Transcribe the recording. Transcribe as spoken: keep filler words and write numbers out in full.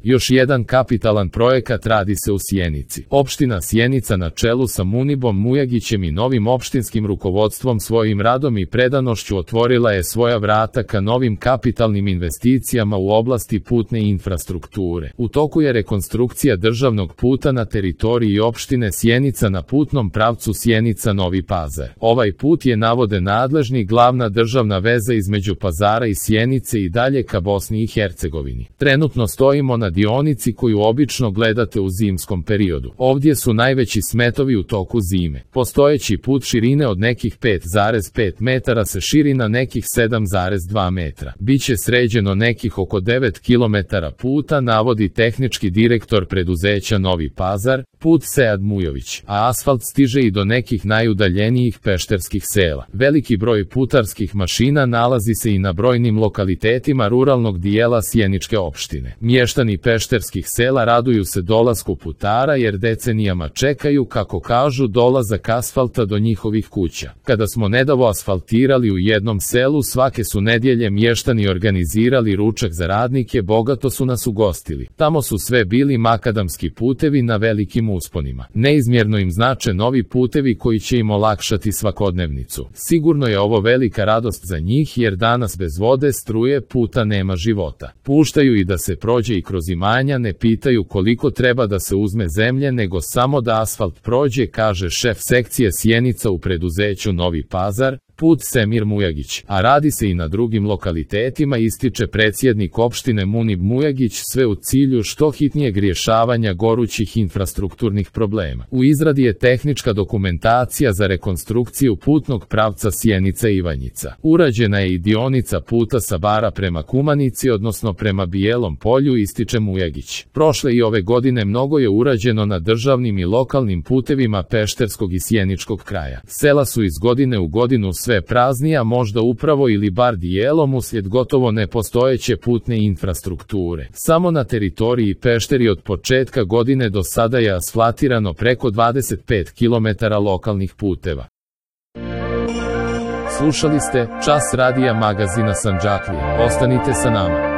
Još jedan kapitalan projekat radi se u Sjenici. Opština Sjenica na čelu sa Munibom Mujagićem i novim opštinskim rukovodstvom svojim radom i predanošću otvorila je svoja vrata ka novim kapitalnim investicijama u oblasti putne infrastrukture. U toku je rekonstrukcija državnog puta na teritoriji opštine Sjenica na putnom pravcu Sjenica-Novi Pazar. Ovaj put je, navode nadležni, glavna državna veza između Pazara i Sjenice i dalje ka Bosni i Hercegovini. Trenutno stojimo na dionici koju obično gledate u zimskom periodu. Ovdje su najveći smetovi u toku zime. Postojeći put širine od nekih pet zarez pet metara se širi na nekih sedam zarez dva metra. Biće sređeno nekih oko devet kilometara puta, navodi tehnički direktor preduzeća Novi Pazar, put Sead Mujović, a asfalt stiže i do nekih najudaljenijih pešterskih sela. Veliki broj putarskih mašina nalazi se i na brojnim lokalitetima ruralnog dijela Sjeničke opštine. Mještani pešterskih sela raduju se dolasku putara jer decenijama čekaju, kako kažu, dolazak asfalta do njihovih kuća. Kada smo nedavno asfaltirali u jednom selu, svake su nedjelje mještani organizirali ručak za radnike, bogato su nas ugostili. Tamo su sve bili makadamski putevi na velikim usponima. Neizmjerno im znače novi putevi koji će im olakšati svakodnevnicu. Sigurno je ovo velika radost za njih jer danas bez vode, struje, puta nema života. Puštaju i da se prođe i kroz imanja, ne pitaju koliko treba da se uzme zemlje, nego samo da asfalt prođe, kaže šef sekcije Sjenica u preduzeću Novi Pazar, put Semir Mujagić, a radi se i na drugim lokalitetima, ističe predsjednik opštine Munib Mujagić, sve u cilju što hitnijeg rješavanja gorućih infrastrukturnih problema. U izradi je tehnička dokumentacija za rekonstrukciju putnog pravca Sjenica-Ivanjica. Urađena je i dionica puta sa Bara prema Kumanici, odnosno prema Bijelom polju, ističe Mujagić. Prošle i ove godine mnogo je urađeno na državnim i lokalnim putevima pešterskog i sjeničkog kraja. Sela su iz godine u godinu sve sve praznija, možda upravo ili bar dijelom uslijed gotovo nepostojeće putne infrastrukture. Samo na teritoriji Pešteri od početka godine do sada je asfaltirano preko dvadeset pet kilometara lokalnih puteva. Slušali ste Čas radija magazina Sandžaklija. Ostanite sa nama.